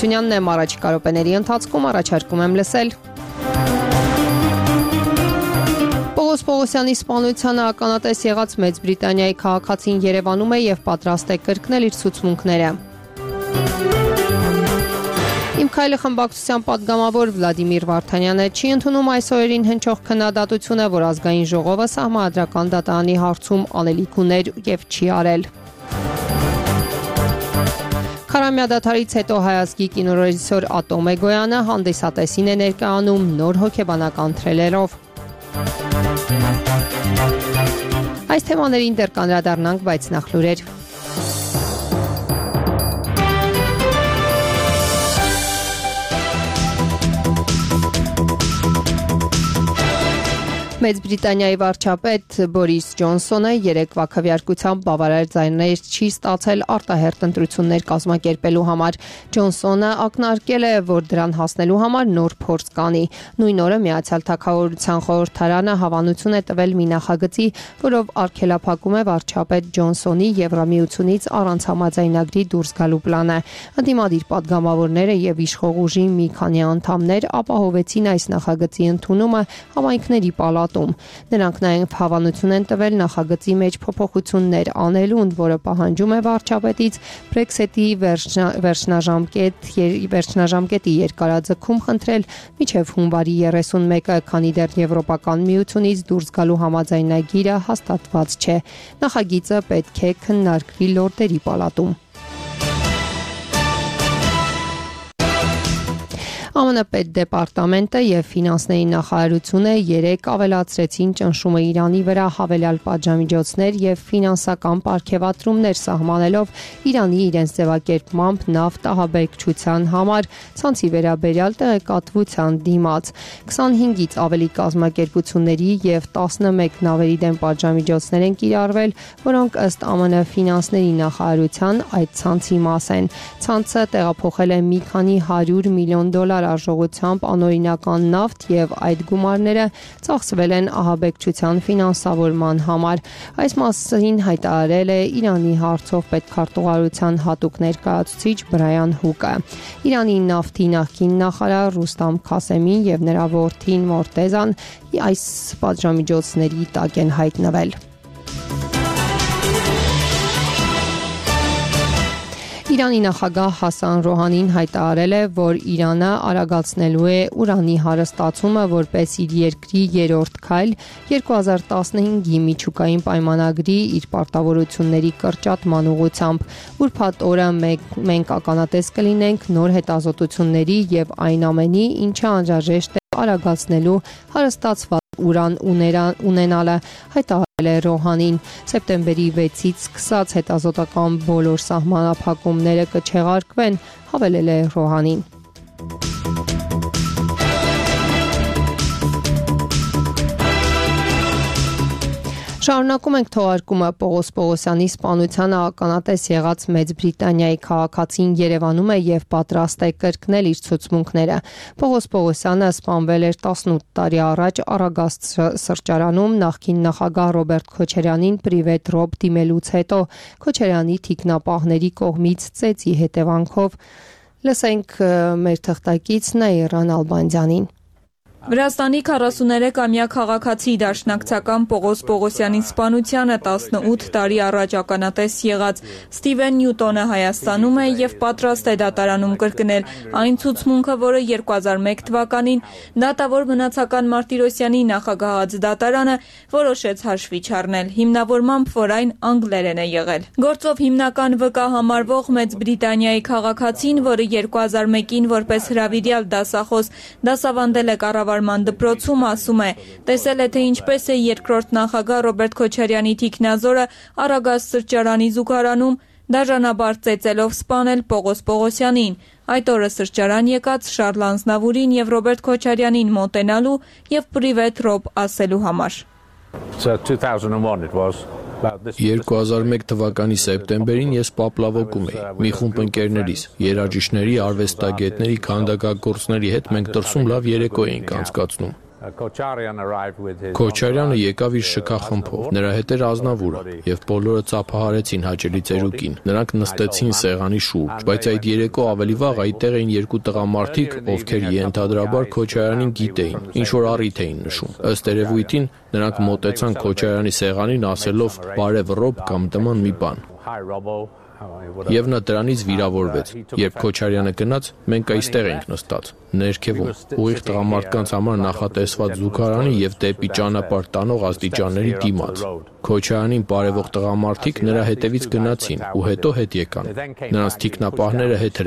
Շունյանն եմ առաջիկա րոպեների ընթացքում առաջարկում եմ լսել։ Պողոս Պողոսյանի սպանությանը ականատես եղած Մեծ Բրիտանիայի քաղաքացին Երևանում է եւ պատրաստ է կրկնել իր ցուցմունքները։ Իմ քայլը խմբակցության պատգամավոր Վլադիմիր Վարդանյանը չի ընդունում այս օրերին հնչող քննադատությունը, որ ազգային ժողովը սահմանադրական դատարանի հարցում անելիք ուներ եւ չի արել։ Քարամյա դադարից հետո հայազգի կինոռեժիսոր Ատոմ Էգոյանը հանդիսատեսին է ներկայանում նոր հոգեբանական թրիլերով։ Այս թեմաներին դեռ կանդրադառնանք, բայց նախ լուրեր։ Մեծ Բրիտանիայի վարչապետ Բորիս Ջոնսոնը երեկվա քվեարկությամբ բավարար ձայներ չի ստացել արտահերթ ընտրություններ կազմակերպելու համար։ Ջոնսոնը ակնարկել է, որ դրան հասնելու համար նոր փորձ կանի։ Նույն օրը Միացյալ Թագավորության խորհրդարանը հավանություն է տվել մի նախագծի, որով արգելափակում է վարչապետ Ջոնսոնի Եվրամիությունից առանց համաձայնագրի դուրս գալու պլանը։ Ընդդիմադիր պատգամավորները եւ իշխող ուժի մի քանի անդամներ ապահովեցին այս նախագծի ընդունումը համայնքների պալատում։ Նրանք նաև հավանություն են տվել նախագծի մեջ փոփոխություններ անելուն, որը պահանջում է վարչապետից Brexit-ի վերջնաժամկետի երկարաձգում խնդրել մինչև հունվարի 31-ը, քանի դեռ Եվրոպական միությունից դուրս գալու համաձայնագիրը հաստատված չէ։ Նախագիծը պետք է քննարկվի լորդերի պալատում։ ԱՄՆ պետդեպարտամենտը եւ ֆինանսների նախարարությունը երեկ ավելացրեցին ճնշումը Իրանի վրա հավելյալ պատժամիջոցներ եւ ֆինանսական պարգևատրումներ սահմանելով Իրանի իրենց ձևակերպմամբ նավթ ահաբեկչության համար ցանցի վերաբերյալ տեղեկատվության դիմաց 25-ից ավելի կազմակերպությունների եւ 11 նավերի դեմ պատժամիջոցներ են կիրառվել, որոնք ըստ ԱՄՆ ֆինանսների նախարարության այդ ցանցի մաս են։ Ցանցը տեղափոխել է մի քանի $100 միլիոն արժողությամբ անօրինական նավթ եւ այդ գումարները ծախսվել են ահաբեկչության ֆինանսավորման համար։ Այս մասին հայտարարել է Իրանի հարցով պետքարտուղարության հատուկ ներկայացուցիչ Բրայան Հուկը։ Իրանի նավթի նախկին նախարար Ռուստամ Քասեմին եւ նրա որդին Մորտեզան այս պատժամիջոցների տակ են հայտնվել։ Իրանի նախագահ Հասան Ռոհանին հայտարարել է, որ Իրանը արագացնելու է ուրանի հարստացումը որպես իր երկրի երրորդ քայլ 2015-ի միջուկային պայմանագրի իր պարտավորությունների կրճատման ուղղությամբ։ Ուրբաթ օրը մենք ականատես կլինենք նոր հետազոտությունների եւ այն ամենի, ինչը անհրաժեշտ է արագացնելու հարստացված ուրան ունենալը, հայտարարել է Ռոհանին։ Սեպտեմբերի 6-ից սկսած հետազոտական բոլոր սահմանափակումները կչեղարկվեն, հավելել է Ռոհանին։ Շարունակում ենք թողարկումը Պողոս Պողոսյանի սպանությանը ականատես եղած Մեծ Բրիտանիայի քաղաքացին Երևանում է եւ պատրաստ է կրկնել իր ցուցմունքները։ Պողոս Պողոսյանը սպանվել էր 18 տարի առաջ Արագաստ սրճարանում նախկին նախագահ Ռոբերտ Քոչարյանին պրիվետ ռոբ դիմելուց հետո Քոչարյանի թիկնապահների կողմից ծեծի հետևանքով։ Լսենք մեր թղթակից Նաիրան Ալբանդյանին։ Վրաստանի 43-ամյա քաղաքացի դաշնակցական Պողոս Պողոսյանի սպանությանը 18 տարի առաջ ականատես եղած Ստիվեն Նյուտոնը Հայաստանում է եւ պատրաստ է դատարանում կրկնել այն ցուցմունքը, որը 2001 թվականին դատավոր մնացական Մարտիրոսյանի նախագահած դատարանը որոշեց հաշվի չառնել, հիմնավորմամբ, որ այն անգլերեն է եղել։ Գործով հիմնական վկա համարվող Մեծ Բրիտանիայի քաղաքացին, որը 2001-ին որպես հրավիրյալ դասախոս դասավանդել է կառավարման դպրոցում, ասում է. տեսել է, թե ինչպես է երկրորդ նախագահ Ռոբերտ Քոչարյանի թիկնազորը Արագաստ սրճարանի զուգարանում դաժանաբար ծեծելով սպանել Պողոս Պողոսյանին։ Այդ օրը սրճարան եկած Շարլ Անձնավուրին եւ Ռոբերտ Քոչարյանին մոտենալու եւ պրիվետ ռոբ ասելու համար։ 2001 թվականի սեպտեմբերին ես Պապլավոկում էի, մի խումբ ընկերներիս, երաժիշտների, արվեստագետների, քանդակագործների հետ մենք դրսում լավ երեկո էինք անցկացնում։ Քոչարյանը եկավ իր շքախմբով, նրա հետ էր Ազնավուրը, եւ բոլորը ծափահարեցին հաճելի ծերուկին։ Նրանք նստեցին սեղանի շուրջ, բայց այդ երեկո ավելի վաղ այդտեղ էին երկու տղամարդիկ, ովքեր ենթադրաբար Քոչարյանին գիտեին, ինչ որ առիթ էին նշում։ Ըստ երևույթին նրանք մոտեցան Քոչարյանի սեղանին ասելով «բարև Ռոբ» կամ նման մի բան։ Եվ նա դրանից վիրավորվեց։ Երբ Քոչարյանը գնաց, մենք այստեղ էինք նստած, ներքևում, ուղիղ տղամարդկանց համար նախատեսված զուգարանի եւ դեպի ճանապարհ տանող աստիճանների դիմաց։ Քոչարյանին բարևող տղամարդիկ նրա հետևից գնացին ու հետո հետ եկան։ Նրանց թիկնապահները հետ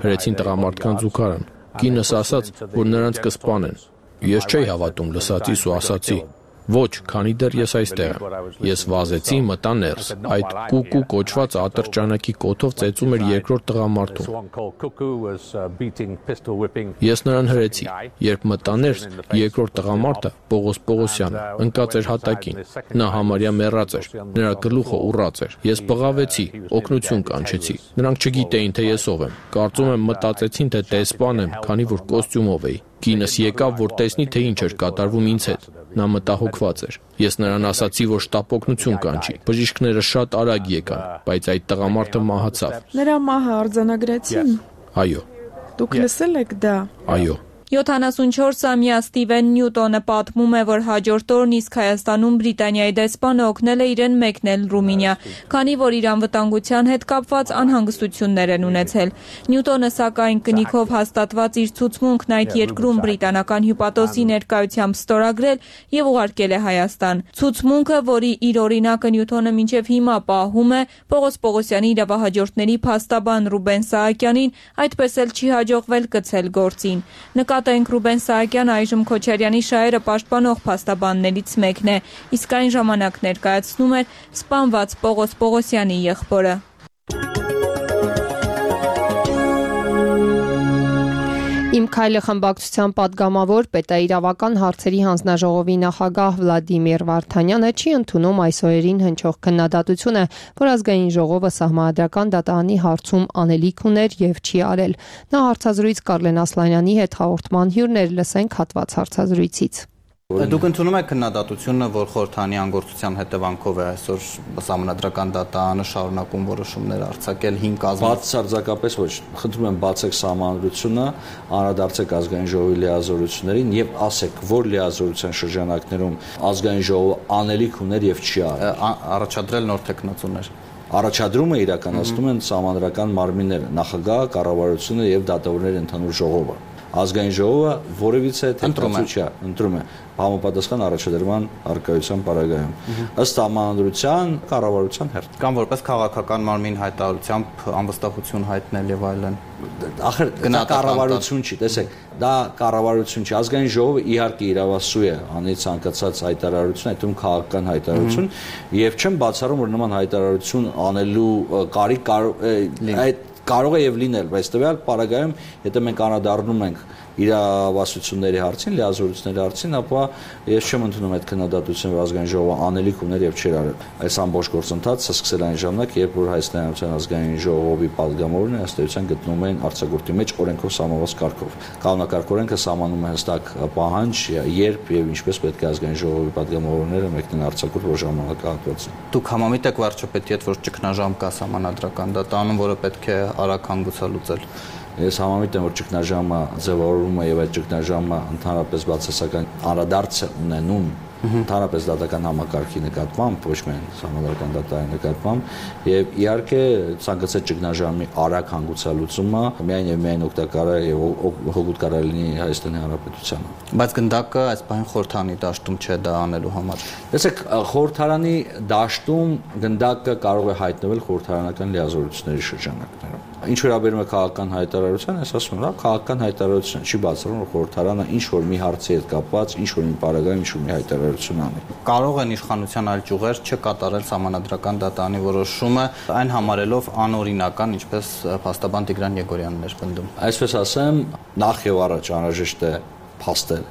հրեցին տղամարդկանց զուգարան։ Կինս ասաց, որ նրանց կսպանեն։ Ես չէի հավատում լսածիս ու ասացի. Ոչ, քանի դեռ ես այստեղ եմ։ Ես վազեցի, մտա ներս։ Այդ կուկու կոչված ատրճանակի կոթով ծեծում էր երկրորդ տղամարդուն։ Ես նրան հրեցի։ Երբ մտա ներս, երկրորդ տղամարդը, Պողոս Պողոսյանը, ընկած էր հատակին։ Նա համարյա մեռած էր։ Նրա գլուխը ուռած էր։ Ես բղավեցի, օգնություն կանչեցի։ Նրանք չգիտեին, թե ես ով եմ։ Կարծում եմ մտածեցին, թե դեսպան եմ, քանի որ կոստյումով էի։ Կինս եկավ, որ տեսնի, թե ինչ էր կատարվում ինձ հետ։ Նա մտահոգված էր։ Ես նրան ասացի, որ շտապ օգնություն կանչի։ Բժիշկները շատ արագ եկան, բայց այդ տղամարդը մահացավ։ Նրա մահը արձանագրեցին։ Այո։ Դուք լսել եք դա։ Այո։ 74-ամյա Ստիվեն Նյուտոնը պատմում է, որ հաջորդ օրն իսկ Հայաստանում Բրիտանիայի դեսպանը օգնել է իրեն մեկնել Ռումինիա, քանի որ իր անվտանգության հետ կապված անհանգստություններ են ունեցել։ Նյուտոնը սակայն կնիքով հաստատված իր ցուցմունքն այդ երկրում բրիտանական հյուպատոսի ներկայությամբ ստորագրել եւ ուղարկել է Հայաստան։ Ցուցմունքը, որի իր օրինակը Նյուտոնը մինչև հիմա պահում է, Պողոս Պողոսյանի իրավահաջորդների փաստաբան Ռուբեն Սահակյանին այդպես էլ չի հաջողվել կցել գործին։ Նկատենք Ռուբեն Սահակյանը այժմ Քոչարյանի շահերը պաշտպանող փաստաբաններից մեկն է, իսկ այն ժամանակ ներկայացնում էր սպանված Պողոս Պողոսյանի եղբորը։ Իմ քայլը խմբակցության падգամավոր պետաիրավական հարցերի հանձնաժողովի նախագահ Վլադիմիր Վարդանյանը չի ընդունում այս օրերին հնչող քննադատությունը, որ ազգային ժողովը սահմանադրական դատարանի հարցում անելիք ուներ եւ չի արել։ Նա հարցազրույց Կարլեն Ասլանյանի հետ հաղորդման հյուրներ, լսենք հատված հարցազրույցից։ Դուք ընդունում եք քննադատությունը, որ խորհրդանի անգործության հետևանքով է այսօր սահմանադրական դատարանը շարունակում որոշումներ արձակել 5 կազմի։ Բացարձակապես ոչ։ Խնդրում եմ բացեք սահմանադրությունը, անդրադարձեք ազգային ժողովի լիազորություններին եւ ասեք, որ լիազորության շրջանակներում ազգային ժողովը անելիք ուներ եւ չի արել։ Առաջադրել նոր տեխնացուներ։ Առաջադրումը իրականացնում են սահմանադրական մարմինները, նախագահը, կառավարությունը եւ դատավորների ընդհանուր ժողովը։ Ազգային ժողովը որևիցե ընտրում է համապատասխան առաջադրման առկայության պարագայում ըստ համանդրության կառավարության հերթ կամ որպես քաղաքական մարմին հայտարարությամբ անվստահություն հայտնել եւ այլն։ Ախր դա կառավարություն չի, տեսեք, դա կառավարություն չի, ազգային ժողովը իհարկե իրավասու է անի ցանկացած հայտարարություն, այդտեղ քաղաքական հայտարարություն եւ չեմ բացառում, որ նման հայտարարություն անելու կարիք կարող է եւ լինել, բայց տվյալ պարագայում, եթե մենք անդրադառնում ենք իրավասությունների հարցին, լիազորությունների հարցին, ապա ես չեմ ընդունում այդ քննադատությունը, որ ազգային ժողովը անելիք ուներ եւ չէր արել։ Այս ամբողջ գործընթացը սկսել այն ժամանակ, երբ որ Հայաստանի Հանրապետության ազգային ժողովի падգամավորն ըստ էության գտնվում էին արձակուրդի մեջ օրենքով սահմանված կարգով։ Կանոնակարգ օրենքը սահմանում է հստակ պահանջ, երբ եւ ինչպես պետք է ազգային ժողովի падգամավորները մեկնեն արձակուրդ որ ժամանակահատվածին։ Դուք համամիտ եք վարչապետի հետ, որ ճգնաժամ կա սահմանադրական դատարանում, որը պետք է արագ հանգուցալուծել։ Ես համամիտ եմ, որ ճգնաժամը ձևավորվում է եւ այդ ճգնաժամը ընդհանրապես բացասական անդրադարձ ունենում ընդհանրապես դատական համակարգի նկատմամբ, ոչ միայն սահմանադրական դատարանի նկատմամբ, եւ իհարկե ցանկացած ճգնաժամի արագ հանգուցալուծումը միայն եւ միայն օգտակար է եւ հօգուտ կարող լինի Հայաստանի Հանրապետությանը։ Բայց գնդակը այս բան խորհրդանի դաշտում չէ դա անելու համար։ Տեսեք, խորհրդարանի դաշտում գնդակը կարող է հայտնվել խորհրդարանական լիազորությունների շրջանակներում։ Ինչ վերաբերում է քաղաքական հայտարարության, ես ասում եմ, քաղաքական հայտարարություն չի բացառում, որ խորհրդարանը ինչ որ մի հարցի հետ կապված, ինչ որ մի պարագայում ինչ որ մի հայտարարություն անի։ Կարող են իշխանության այլ ճյուղեր չկատարել սահմանադրական դատարանի որոշումը, այն համարելով անօրինական, ինչպես փաստաբան Տիգրան Եգորյանն էր պնդում։ Այսպես ասեմ, նախ եւ առաջ անհրաժեշտ է փաստել,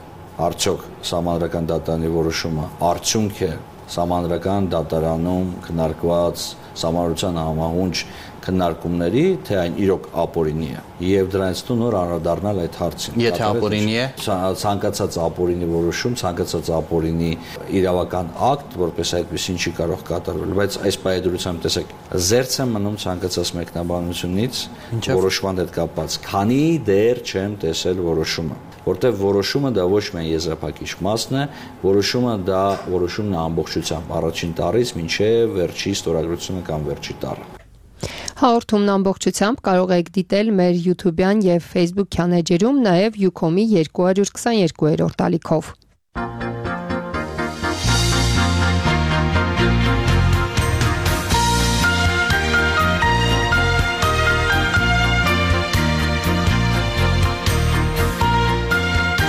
արդյոք սահմանադրական դատարանի որոշումը արդյունք է Սահմանադրական դատարանում քննարկված սահմանության համահունչ քննարկումների, թե այն իրոք ապօրինի է եւ դրանից նոր անդրադառնալ այդ հարցին։ Եթե ապօրինի է, ցանկացած ապօրինի որոշում, ցանկացած ապօրինի իրավական ակտ, որպես այդպեսին չի կարող կատարվել, բայց այս պայմանությամբ տեսեք, զերծ է մնում ցանկացած մեկնաբանությունից որոշման հետ կապված, քանի դեռ չեմ տեսել որոշումը, որտեղ որոշումը դա ոչ միայն եզրափակիչ մասն է, որոշումն է ամբողջությամբ առաջին տարից մինչև վերջի ստորագրությունը կամ վերջի տարը։ Հաղորդումն ամբողջությամբ կարող եք դիտել մեր YouTube-յան եւ Facebook-յան էջերում, նաեւ Ucom-ի 222-րդ ալիքով։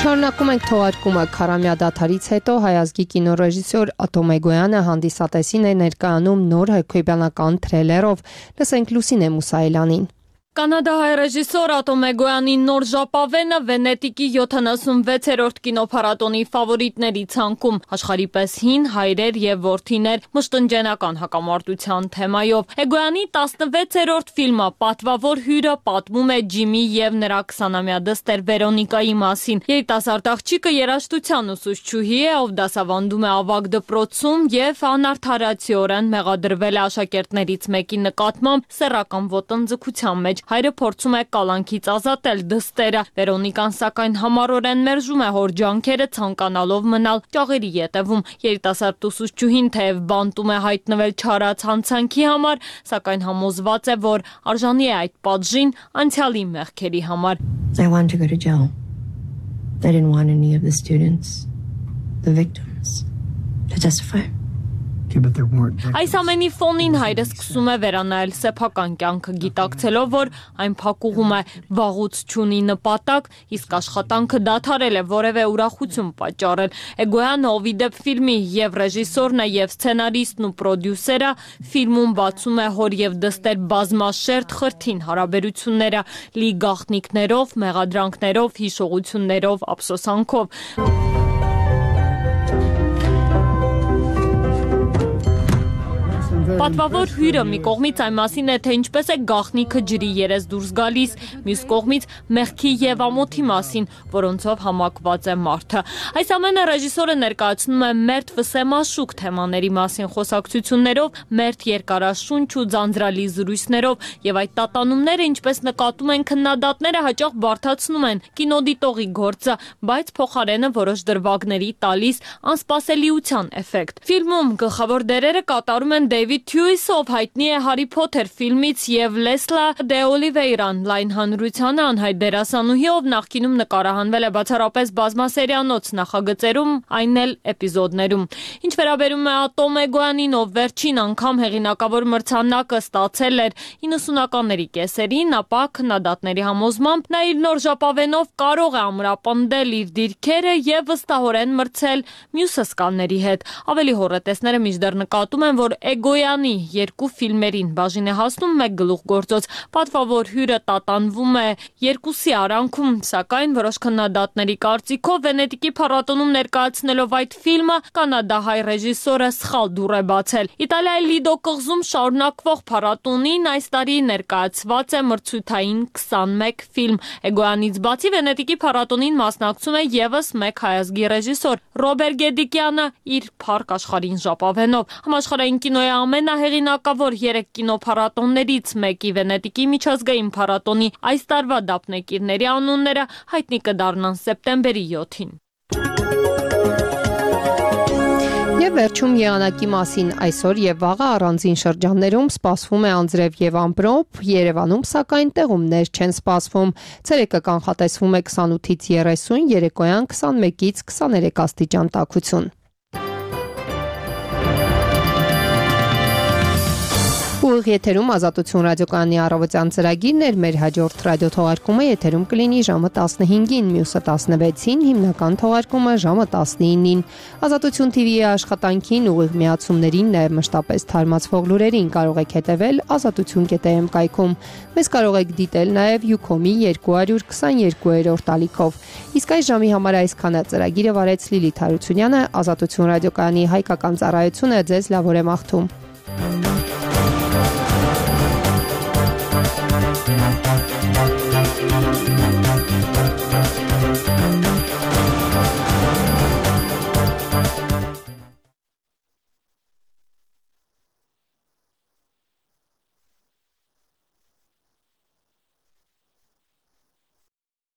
Շարունակում ենք թողարկումը քարամյա դադարից հետո հայազգի կինոռեժիսոր Ատոմ Էգոյանը հանդիսատեսին է ներկայանում նոր հոգեբանական թրիլերով։ Լսենք Լուսինե Մուսայելյանին։ Կանադահայ ռեժիսոր Ատոմ Էգոյանի նոր ժապավենը Վենետիկի 76-րդ կինոփառատոնի ֆավորիտների ցանկում, աշխարհի պես հին հայրեր եւ որդիներ մշտնջենական հակամարտության թեմայով։ Էգոյանի 16-րդ ֆիլմը Պատվավոր հյուրը պատմում է Ջիմի եւ նրա 20-ամյա դստեր Վերոնիկայի մասին։ Երիտասարդ աղջիկը երաժշտության ուսուցչուհի է, ով դասավանդում է ավագ դպրոցում եւ անարդարացիորեն մեղադրվել է աշակերտներից մեկի նկատմամբ սեռական ոտնձգության մեջ։ Հայրը փորձում է կալանքից ազատել դստերը։ Վերոնիկան սակայն համառորեն մերժում է հոր ջանքերը, ցանկանալով մնալ ճաղերի ետևում։ Երիտասարդ ուսուցչուհին թեև բանտում է հայտնվել չարած հանցանքի համար, սակայն համոզված է, որ արժանի է այդ պատժին անցյալի մեղքերի համար։ I want to go to jail. I didn't want any of the students, the victims, to testify. Այս ամենի ֆոնին հայրը սկսում է վերանայել սեփական կյանքը, գիտակցելով, որ այն փակուղում է, վաղուց չունի նպատակ, իսկ աշխատանքը դադարել է որևէ ուրախություն պատճառել։ Էգոյանը, ով ի դեպ ֆիլմի եւ ռեժիսորն է եւ սցենարիստն ու պրոդյուսերը, ֆիլմում բացում է հոր եւ դստեր բազմաշերտ խրթին հարաբերությունները, լի գաղտնիքներով, մեղադրանքներով, հիշողություններով, ափսոսանքով։ Պատվավոր հյուրը մի կողմից այն մասին է, թե ինչպես է գաղտնիքը ջրի երես դուրս գալիս, մյուս կողմից մեղքի եւ ամոթի մասին, որոնցով համակված է մարդը։ Այս ամենը ռեժիսորը ներկայացնում է մերթ վսեմաշուկ թեմաների մասին խոսակցություններով, մերթ երկարաշունչ ու ձանձրալի զրույցներով, եւ այդ տատանումները, ինչպես նկատում են քննադատները, հաճախ բարդացնում են կինոդիտողի գործը, բայց փոխարենը որոշ դրվագների տալիս անսպասելիության էֆեկտ։ Ֆիլմում գլխավոր դերերը կատարում են Դեյվիդ Թյուիսը, ով հայտնի է Հարի Փոթեր ֆիլմից, եւ Լեսլա Դե Օլիվեյրան, լայն հանրությանը անհայտ դերասանուհի, ով նախկինում նկարահանվել է բացառապես բազմասերիանոց նախագծերում, այն էլ էպիզոդներում։ Ինչ վերաբերում է Ատոմ Էգոյանին, ով վերջին անգամ հեղինակավոր մրցանակը ստացել էր 90-ականների կեսերին, ապա քննադատների համոզմամբ նա իր նոր ժապավենով կարող է ամրապնդել իր դիրքերը եւ վստահորեն մրցել մյուս հսկաների հետ։ Ավելի հոռետեսները մինչդեռ նկատում են, որ Էգոյանի երկու ֆիլմերին բաժին է հասնում մեկ գլուխգործոց։ Պատվավոր հյուրը տատանվում է երկուսի արանքում, սակայն որոշ քննադատների կարծիքով Վենետիկի փառատոնում ներկայացնելով այդ ֆիլմը կանադահայ ռեժիսորը սխալ դուռ է բացել։ Իտալիայի Լիդո կղզում շարունակվող փառատոնին այս տարի ներկայացված է մրցութային 21 ֆիլմ։ Էգոյանից բացի Վենետիկի փառատոնին մասնակցում է եւս մեկ հայազգի ռեժիսոր Ռոբեր Գեդիկյանը իր Փառք աշխարհին ժապավենով։ Համաշխարհային կինոյի ամենահեղինակավոր 3 կինոփառատոններից մեկի Վենետիկի միջազգային փառատոնի այս տարվա դափնեկիրների անունները հայտնի կդառնան սեպտեմբերի 7-ին։ Եվ վերջում եղանակի մասին այսօր եւ վաղը առանձին շրջաններում սպասվում է անձրև եւ ամպրոպ, Երևանում սակայն տեղումներ չեն սպասվում։ Ցերեկը կանխատեսվում է 28-ից 30, երեկոյան 21-ից 23 աստիճան տաքություն։ Ու Ուղիղ եթերում Ազատություն ռադիոկայանի առավոտյան ծրագիրն էր, մեր հաջորդ ռադիոթողարկումը եթերում կլինի ժամը 15-ին, մյուսը 16-ին, հիմնական թողարկումը ժամը 19-ին։ Ազատություն TV-ի աշխատանքին, ուղիղ միացումներին, նաև մշտապես թարմացվող լուրերին կարող եք հետևել azatutun.am կայքում։ Մեզ կարող եք դիտել նաև Ucom-ի 222-րդ ալիքով։ Իսկ այս ժամի համար այսքանը ծրագիրը վարեց Լիլիթ Հարությունյանը, Ազատություն ռադիոկայանի հայկական ծառայությունը ձեզ լավ օր է մաղթում։ Thank you.